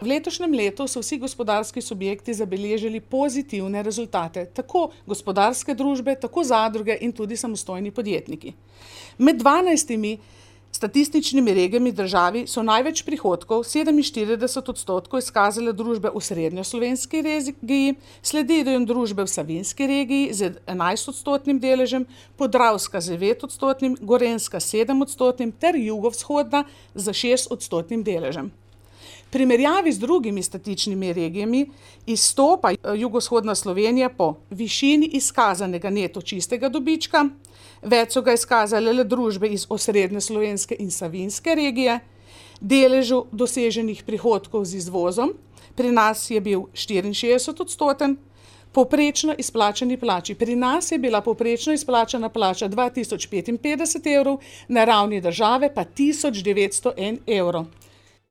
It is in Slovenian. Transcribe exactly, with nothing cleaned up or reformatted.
V letošnjem letu so vsi gospodarski subjekti zabeležili pozitivne rezultate, tako gospodarske družbe, tako zadruge in tudi samostojni podjetniki. Med dvanajstimi statističnimi regijami državi so največ prihodkov, sedeminštirideset odstotkov, izkazale družbe v srednjeslovenski regiji, sledijo družbe v Savinjski regiji z enajstodstotnim deležem, Podravska z devetodstotnim, Gorenjska s sedemodstotnim ter jugovzhodna z šestodstotnim deležem. V primerjavi z drugimi statičnimi regijami izstopa jugovzhodna Slovenija po višini izkazanega neto čistega dobička, več so ga izkazale le družbe iz osrednje slovenske in Savinjske regije, deležu doseženih prihodkov z izvozom, pri nas je bil štiriinšestdeset odstoten, povprečno izplačani plači. Pri nas je bila povprečno izplačana plača dva tisoč petinpetdeset evrov, na ravni države pa tisoč devetsto en evro.